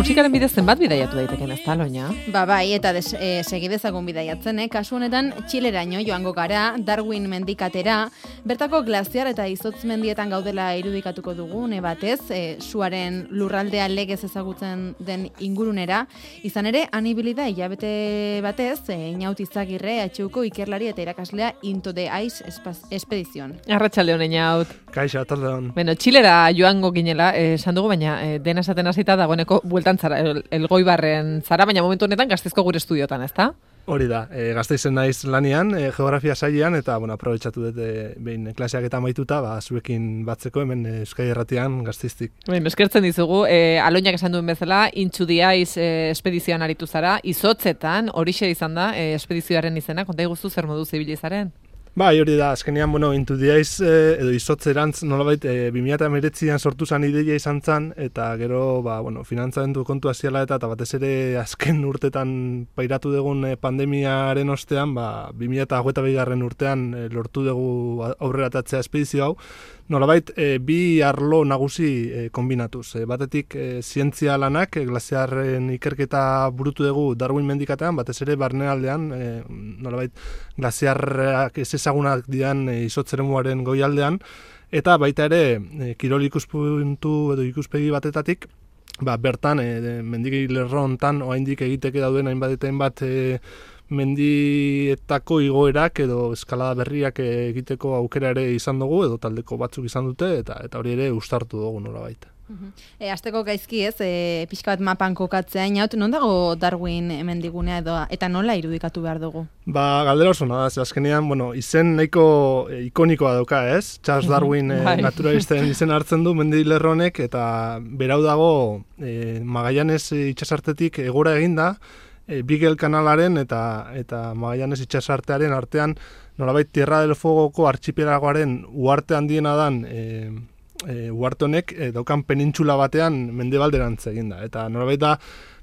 musikaren bidez zenbat bidaiatu daiteken, ez da, Loina? Bai, eta segidezagun bidaiatzen, kasu honetan Txileraino joango gara, Darwin mendikatera, bertako glaziar eta izotz mendietan gaudela irudikatuko dugu, batez, suaren lurraldea legez ezagutzen den ingurunera, izan ere, anibilida hilabete batez, Inaut Izagirre, HUko ikerlari eta irakaslea Into the Ice espedizion. Arratsaldeon, Inaut. Kaixo, ataldeon. Bueno, Txilera joango ginela, esan dugu, baina dena esaten hasita dagoeneko bueltan zara, Elgoibarren zara, baina momentu honetan Gasteizko gure estudiotan, ezta? Hori da, Gasteizen naiz lanian, geografia sailean, eta aprobetxatu dut behin klaseak eta amaituta, zuekin batzeko hemen Euskadi Irratian Gasteiztik. Eskertzen dizugu, Aloinak esan duen bezala, Into the Ice espedizioan aritu zara, izotzetan, horixe izan da, espedizioaren izena, konta iguzu zer modu zibilizaren? Bai, hori da, azkenean, Into the Ice edo izotzerantz nolabait 2019an sortu zan ideia izan zan, eta gero, finantzamendu kontu aziala eta batez ere azken urtetan pairatu dugun pandemiaren ostean, 2022 urtean lortu dugu aurreratatzea espedizio hau, nolabait bi arlo nagusi kombinatuz. Batetik zientzia lanak, glaziarren ikerketa burutu dugu Darwin mendikatean, batez ere barnealdean, nolabait glaziarrak ez ezagunak dian izotzeremuaren goialdean, eta baita ere kirol ikuspuntu edo ikuspegi batetatik, bertan mendiki lerro hontan oraindik egiteke dauden hainbat mendietako igoerak edo eskalada berriak egiteko aukera ere izan dugu, edo taldeko batzuk izan dute, eta hori ere uztartu dugu nolabait. Azteko gaizki ez, pixka bat mapan kokatzea, Inaut, non dago Darwin mendigunea eta nola irudikatu behar dugu? Galdera oso nada, azkenean, izen nahiko ikonikoa dauka, ez? Charles Darwin naturalisten izen hartzen du mendilerronek, eta berau dago Magallanes itxasartetik egora eginda, Beagle kanalaren eta Magallanes itxasartearen artean, nolabait Tierra del Fuegoko archipelagoaren uharte handiena dan uharte honek daukan penintxula batean mendebalderantz eginda. Eta nolabait da,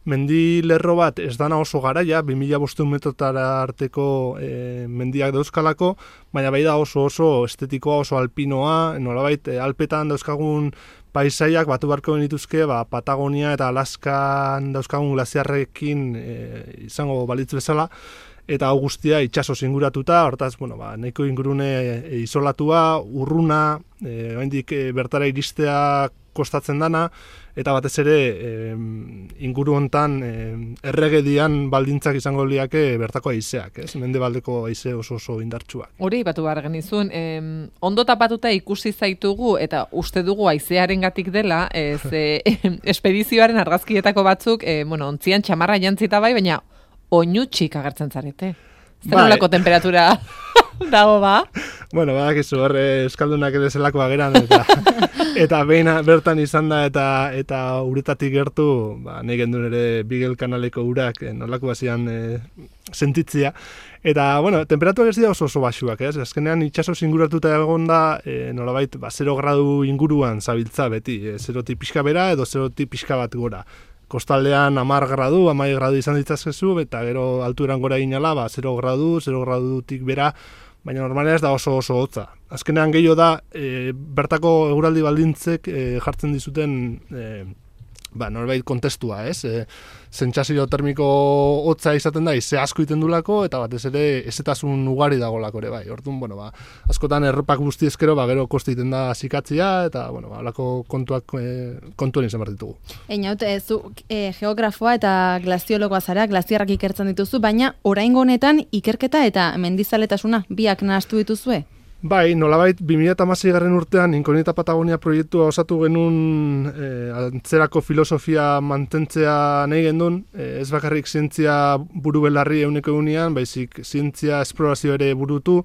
mendilerro bat ez dana oso garaia, 2500 metrotara arteko mendiak dauzkalako, baina bai da oso estetikoa, oso alpinoa, nolabait Alpetan dauzkagun paisaiak batu barko benituzke, Patagonia eta Alaskan dauzkagun glaziarrekin izango balitz bezala, eta hau guztia itxasoz inguratuta, hortaz, nahiko ingurune isolatua, urruna, oraindik bertara iristea kostatzen dana, eta batez ere inguru hontan erregedian baldintzak izango liake bertako haizeak, ez? Mendebaldeko haize oso indartsuak. Hori batu behar genizun, ondo tapatuta ikusi zaitugu eta uste dugu haizearengatik dela, espedizioaren argazkietako batzuk, ontzian txamarra jantzita bai, baina oinutxik agertzen zarete. Zer nolako temperatura dago badakizu, euskaldunak ere zelako ageran, eta behin bertan izan da eta uretatik gertu, nahi gendun ere Beagle kanaleko urak nolako bazian sentitzia. Eta, temperaturak ez dira oso baxuak, ez? Azkenean itxasoz inguratuta egon da, nolabait, 0 gradu inguruan zabiltza beti, 0-tik pixka bera edo 0-tik pixka bat gora. Kostaldean 10 gradu izan ditzazkezu, eta gero altueran gora ginala, 0 gradutik bera, baina normalean ez da oso hotza. Azkenean gehiago da, bertako eguraldi baldintzek jartzen dizuten norbait kontestua, ez? Sentsazio termiko hotza izaten da, ize asko iten dulako, eta batez ere ezetasun ugari dagolako ere, bai. Orduan, askotan erropak guzti ezkero, gero koste iten da zikatzia, eta, halako kontuen izan behar ditugu. Inaut, zu geografoa eta glaziologoa zara, glaziarrak ikertzen dituzu, baina oraingo honetan ikerketa eta mendizaletasuna biak nahastu dituzue? Bai, nolabait 2016 urtean Inkognita Patagonia proiektua osatu genuen antzerako filosofia mantentzea nahi gendun, ez bakarrik zientzia buru belarri eguneko egunean, baizik zientzia esplorazio ere burutu,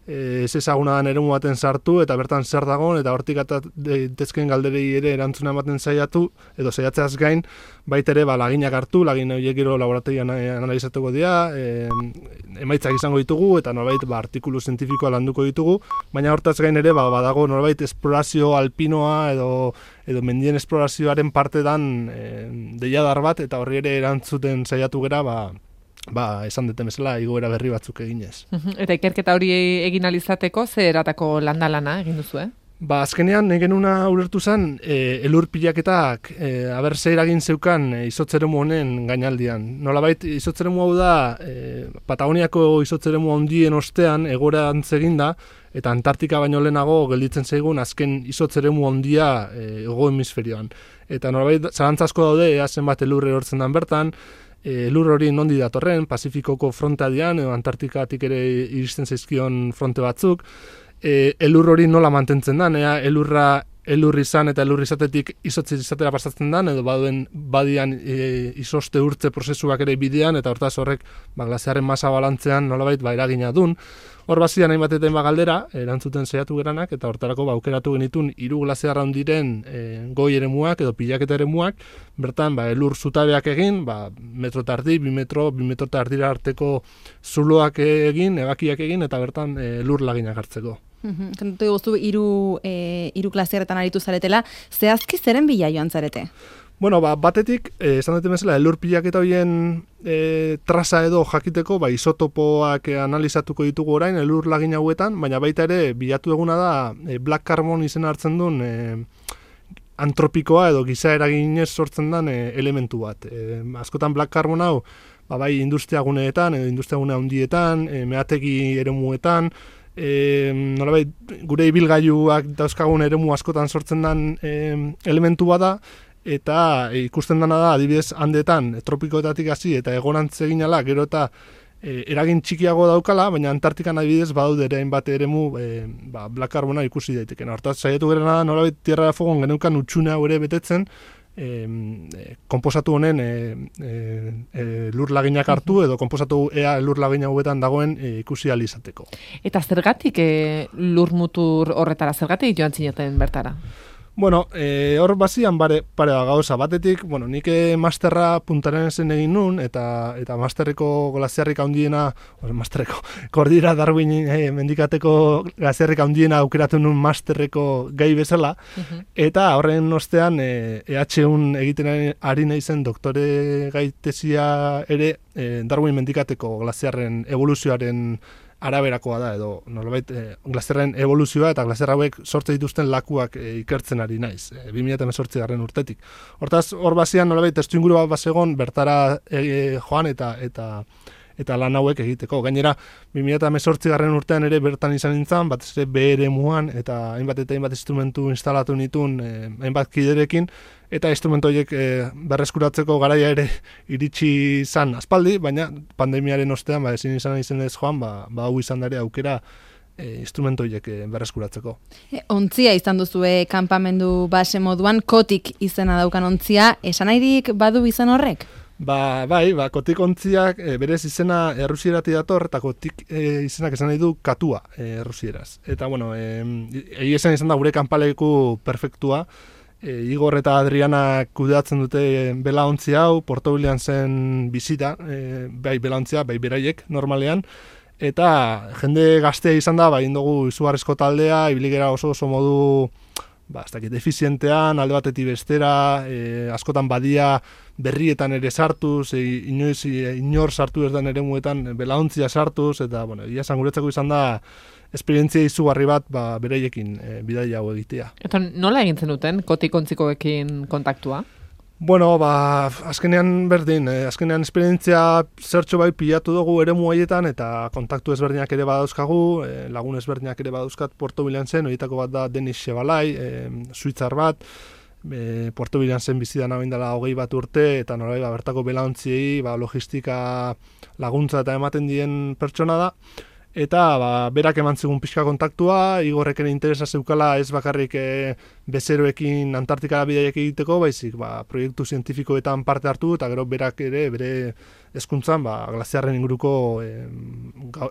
ez ezaguna dan eremu baten sartu, eta bertan zer dagoen, eta hortik daitezkeen galderei ere erantzuna ematen saiatu, edo saiatzeaz gain, baita ere laginak hartu, lagin horiek gero laborategian analizatuko dira, emaitzak izango ditugu, eta norbait artikulu zientifikoa landuko ditugu, baina hortaz gain ere badago norbait esplorazio alpinoa edo mendien esplorazioaren parte dan deiadar bat, eta horri ere erantzuten saiatu gera, esan duten bezala, igoera berri batzuk eginez. Eta ikerketa hori egin alizateko, zer eratako landalana egin duzu, Azkenean, genuna ulertu zen, elur pilaketak, ze eragin zeukan izotzeremu honen gainaldian. Nolabait, izotzeremu hau da, Patagoniako izotzeremu handien ostean egorantz eginda, eta Antartika baino lehenago gelditzen zaigun azken izotzeremu handia hego hemisferioan. Eta nolabait, zalantza asko daude, zenbat elur erortzen dan bertan, elur hori nondi datorren, Pazifikoko frontealdean, edo Antartikatik ere iristen zaizkion fronte batzuk, elur hori nola mantentzen da, elur izan eta elur izatetik izotzi izatera pasatzen da, edo badian izoste urtze prozesuak ere bidean, eta hortaz horrek glaziarren masa balantzean nolabait eragina dun. Hor bazian hainbat eta galdera, erantzuten saiatu geranak, eta hortarako aukeratu genitun 3 glaziarra hundiren goi eremuak edo pilaketa eremuak, bertan elur zutabeak egin, metro eta erdi, 2 metro eta erdira arteko zuloak egin, ebakiak egin, eta bertan elur laginak hartzeko. Kontatu guztu, 3 glaziarretan aritu zaretela, zehazki zeren bila joan zarete? Bueno, batetik, esan dut bezala, elur pilaketa horien traza edo jakiteko, isotopoak analizatuko ditugu orain, elur lagin hauetan, baina baita ere, bilatu eguna da, black carbon izena hartzen duen antropikoa edo giza eraginez sortzen den elementu bat. Askotan black carbon hau, bai industriaguneetan, edo industriagune handietan, meategi eremuetan, nolabait, gure ibilgailuak dauzkagun eremu askotan sortzen den elementu bada, eta ikusten dena da, adibidez, handetan, tropikoetatik hasi eta egorantz egin ala, gero eta eragin txikiago daukala, baina Antartikan adibidez badaude ere hainbat eremu black carbona ikusi daiteken. Hortaz, saiatu gerena da, nolabait, Tierra de Fuegon geneukan utxune hau ere betetzen, konposatu honen lur laginak hartu edo konposatu lur lagina hauetan dagoen ikusi ahal izateko. Eta zergatik lur mutur horretara, zergatik joan zineten bertara? Bueno, hor bazian pare gauza batetik, nik masterra Puntarenesen egin nun, eta masterreko glaziarrik handiena, Kordillera Darwin mendikateko glaziarrik handiena aukeratu nun masterreko gai bezala, eta horren ostean EH1 egiten ari naizen doktore gaitezia ere Darwin mendikateko glaziarren evoluzioaren araberakoa da, edo nolabait glaziarren evoluzioa eta glaziar hauek sortze dituzten lakuak ikertzen ari naiz, 2018 urtetik. Hortaz, hor bazian nolabait testuinguru bat bazegon bertara joan eta lan hauek egiteko. Gainera, 2018 urtean ere bertan izan nintzen, batez ere BRMuan eta hainbat instrumentu instalatu nituen hainbat kiderekin, eta instrumentu horiek berreskuratzeko garaia ere iritsi izan aspaldi, baina pandemiaren ostean ezin izan ez joan, hau izan da ere aukera instrumentu horiek berreskuratzeko. Ontzia izan duzue kanpamendu base moduan, kotik izena daukan ontzia, esan nahirik badu izan horrek? Bai, kotik ontziak berez izena errusieratik dator, eta kotik izenak esan nahi du katua errusieraz. Eta, egi esan izan da gure kanpaleku perfektua, Igor eta Adriana kudeatzen dute belaontzi hau, Porto William zen bizita, bai belaontzia, bai beraiek normalean, eta jende gaztea izan da, indogu izugarrizko taldea, ibiligera oso modu defizientean, alde batetik bestera, askotan badia berrietan ere sartuz, inor sartu ez den eremuetan belaontzia sartuz, eta, ia esan guretzako izan da, esperientzia izugarri bat beraiekin bidaia hau egitea. Eta nola egintzen duten kotik ontzikoekin kontaktua? Azkenean berdin, azkenean esperientzia zertxo bai pilatu dugu eremu haietan eta kontaktu ezberdinak ere badauzkagu, lagun ezberdinak ere badauzkat Porto Williamsen, horietako bat da Denis Chevalay, suitzar bat, Porto Williamsen bizidan hau indala 20 urte, eta norai bertako belaontziei logistika laguntza eta ematen dien pertsona da. Eta berak eman zigun pixka kontaktua, Igorrek ere interesa zeukala ez bakarrik bezeroekin Antartikara bidaiak egiteko, baizik proiektu zientifikoetan parte hartu, eta gero berak ere bere hezkuntzan glaziarren inguruko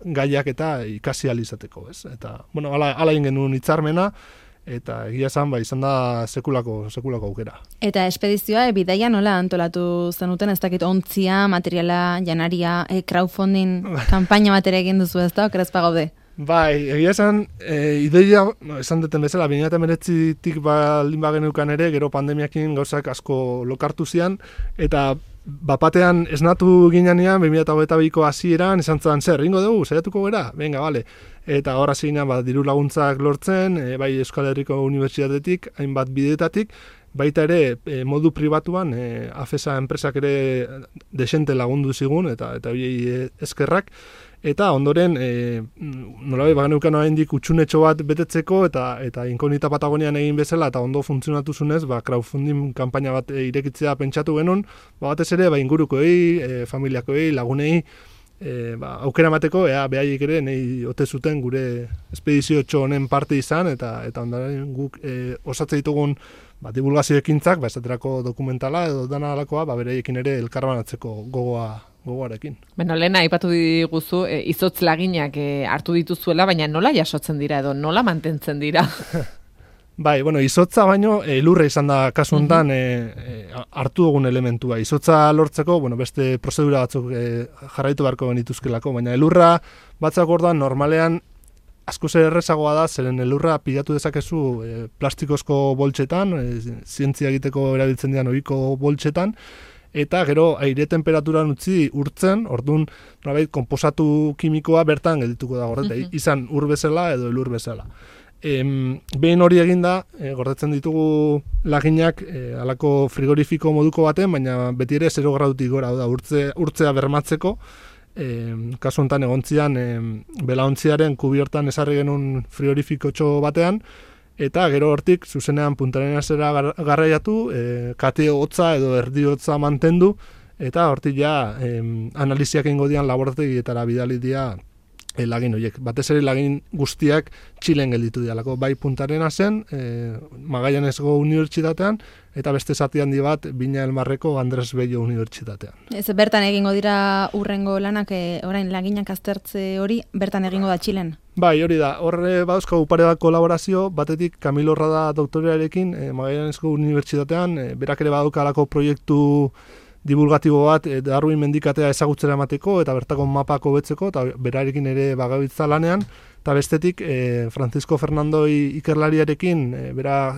gaiak eta ikasi ahal izateko. Eta, ala egin genuen hitzarmena, eta egia esan, izan da sekulako aukera. Eta espedizioa, bidaia nola antolatu zenuten, ez dakit ontzia, materiala, janaria, crowdfunding, kanpaina bat ere egin duzu ez da, okeraz pagaude? Egia esan, ideia, esan duten bezala, 2019-tik baldin bagenukan ere, gero pandemiakin gauzak asko lokartu zian, eta bapatean esnatu ginean 2022ko hasieran esan zan zer, ingo dugu, saiatuko gera? Venga, vale. Eta hor hasi ginean diru laguntzak lortzen, bai Euskal Herriko Unibertsitatetik, hainbat bidetatik, baita ere modu pribatuan AFESA enpresak ere desente lagundu zigun, eta horiei eskerrak. Eta ondoren, nolabait bageneukan oraindik utxunetxo bat betetzeko, eta Inkognita Patagonian egin bezala, eta ondo funtzionatu zunez, crowdfunding kanpaina bat irekitzea pentsatu genuen, batez ere, ingurukoei, familiakoei, lagunei, aukera emateko, behaiek ere nahi ote zuten gure espedizio honen parte izan, eta ondoren guk osatzen ditugun divulgazio ekintzak, esaterako dokumentala edo dana alakoa, beraiekin ere elkarbanatzeko gogoarekin. Beno, lehena aipatu diguzu, izotz laginak hartu dituzuela, baina nola jasotzen dira edo nola mantentzen dira? Bai, izotza baino elurra izan da kasu honetan hartu dugun elementua. Izotza lortzeko, beste prozedura batzuk jarraitu beharko genituzkelako, baina elurra batzak orduan normalean asko zer errezagoa da, zeren elurra pilatu dezakezu plastikozko boltsetan, zientzia egiteko erabiltzen dian ohiko boltsetan, eta gero aire temperaturan utzi urtzen, orduan nolabait konposatu kimikoa bertan geldituko da gordeta, izan ur bezala edo elur bezala. Behin hori eginda, gordetzen ditugu laginak halako frigorifiko moduko baten, baina beti ere 0 gradutik gora da urtzea bermatzeko. Kasu honetan egontzian belaontziaren kubiertan esarri genuen frigorifikotxo batean, eta gero hortik zuzenean puntaren azera garraiatu, kate hotza edo erdi hotza mantendu, eta hortik ja analiziak egingo dian laborategietara bidali dira lagin horiek. Batez ere lagin guztiak Txilen gelditu dialako. Bai Puntarena zen, Magallanesgo Unibertsitatean, eta beste zati handi bat Viña del Marreko Andres Bello Unibertsitatean. Ez bertan egingo dira urrengo lanak, orain laginak aztertze hori, bertan egingo da Txilen? Bai, hori da. Horre badauzkagu pare bat kolaborazio, batetik Camilo Rada doktorearekin Magallanesgo Unibertsitatean, berak ere badaukalako proiektu divulgatibo bat Darwin mendikatea ezagutzera emateko eta bertako mapak hobetzeko, eta berarekin ere bagabiltza lanean, eta bestetik Francisco Fernandoi ikerlariarekin, bera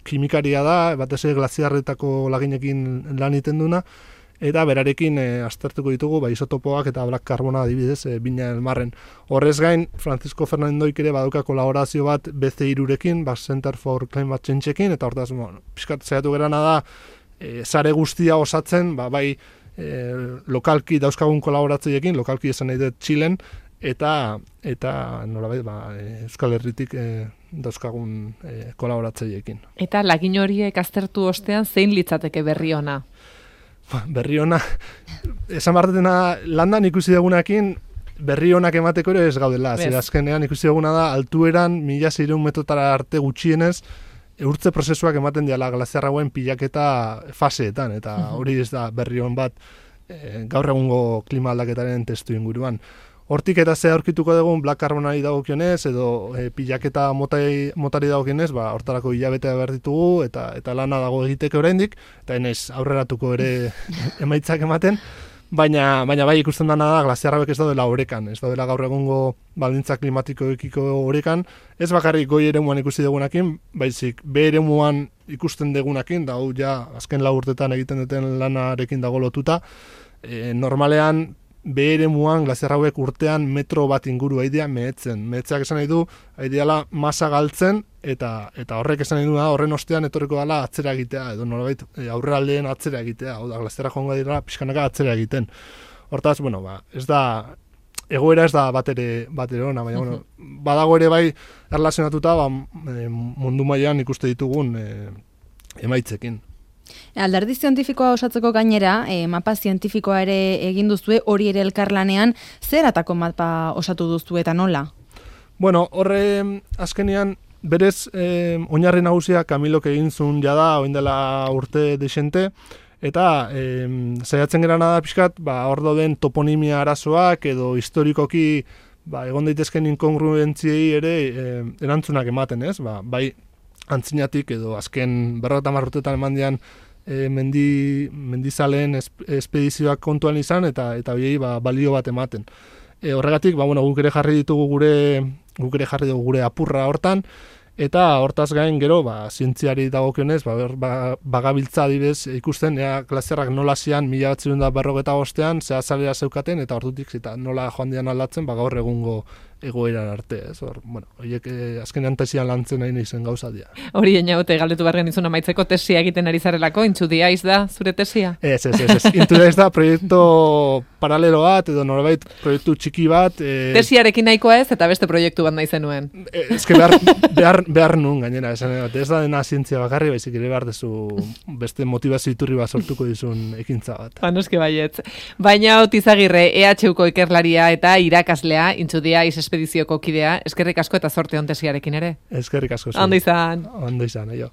kimikaria da, batez ere glaziarretako laginekin lan egiten duna, eta berarekin aztertuko ditugu isotopoak eta black carbona adibidez Viña del Marren. Horrez gain, Francisco Fernandoik ere badauka kolaborazio bat BC3rekin, Center for Climate Change-ekin, eta hortaz, pixkat zaiatu gerana da, sare guztia osatzen, bai lokalki dauzkagun kolaboratzeiekin, lokalki esan nahi dut Txilen, eta nolabait Euskal Herritik dauzkagun kolaboratzeiekin. Eta lagin horiek aztertu ostean zein litzateke berri ona? Berri ona, esan bartetena landan ikusi dugunakin, berri onak emateko ere ez gaudela. Zer azkenean ikusi duguna da, altueran 1600 metrotara arte gutxienez, urtze prozesuak ematen diala glaziar hauen pilaketa faseetan, eta hori ez da berri on bat gaur egungo klima aldaketaren testu inguruan. Hortik eta ze aurkituko dugun black carbonari dagokionez edo pilaketa motari dagokionez, hortarako hilabetea behar ditugu eta lana dago egiteke oraindik, eta enez aurreratuko ere emaitzak ematen, baina bai ikusten dana da glaziar hauek ez daudela orekan, ez daudela gaur egungo baldintza klimatikoekiko orekan, ez bakarrik goi eremuan ikusi dugunakin, baizik be eremuan ikusten dugunakin, da hau ja azken 4 urtetan egiten duten lanarekin dago lotuta, normalean be eremuan glaziar hauek urtean metro bat inguru aidea mehetzen. Mehetzeak esan nahi du, aideala masa galtzen, eta horrek esan nahi du da, horren ostean etorriko dela atzera egitea, edo nolabait aurreraldeen atzera egitea, hau da, glaziarra joango dira pixkanaka atzera egiten. Hortaz, ez da, egoera ez da bat ere ona, baina, badago ere bai erlazionatuta mundu mailan ikuste ditugun emaitzekin. Alderdi zientifikoa osatzeko gainera, mapa zientifikoa ere egin duzue, hori ere elkarlanean, zer atako mapa osatu duzue eta nola? Horre azkenean, berez, oinarri nagusia Camilok egin zuen jada, oin dela urte desente, eta saiatzen gerana da pixkat, hor dauden toponimia arazoak edo historikoki egon daitezken inkongruentziei ere erantzunak ematen, ez? Bai antzinatik edo azken 50 urtetan eman dian mendizaleen espedizioak kontuan izan eta biei balio bat ematen. Horregatik, guk ere jarri dugu gure apurra hortan, Eta hortaz gain gero, zientziari dagokionez, bagabiltza adibidez ikusten, glaziarrak nola zian 1945ean, zehazalera zeukaten, eta ordutik eta nola joan dian aldatzen, gaur egungo egoeran arte, ez? Horiek azkenean tesian lantzen nahi izen gauza dira. Hori einaute galdetu barren izun amaitzeko tesia egiten ari zarelako, Intxudiaiz da zure tesia? Ez. Intxudiaiz da proiektu paralelo bat, edo norbait proiektu txiki bat. Tesiarekin nahikoa ez, eta beste proiektu bat nahi zenuen. Ezke behar nun gainera, ez da dena zientzia bakarri, baizik ere behar dezu beste motivazio iturri bat sortuko dizun ekintza bat. Noski baietz. Baina Otizagirre, EHUko ikerlaria eta irakaslea, Intxudiaiz espedizioko kidea, eskerrik asko eta zorte on tesiarekin ere. Eskerrik asko. Ondo izan. Ondo izan, aio.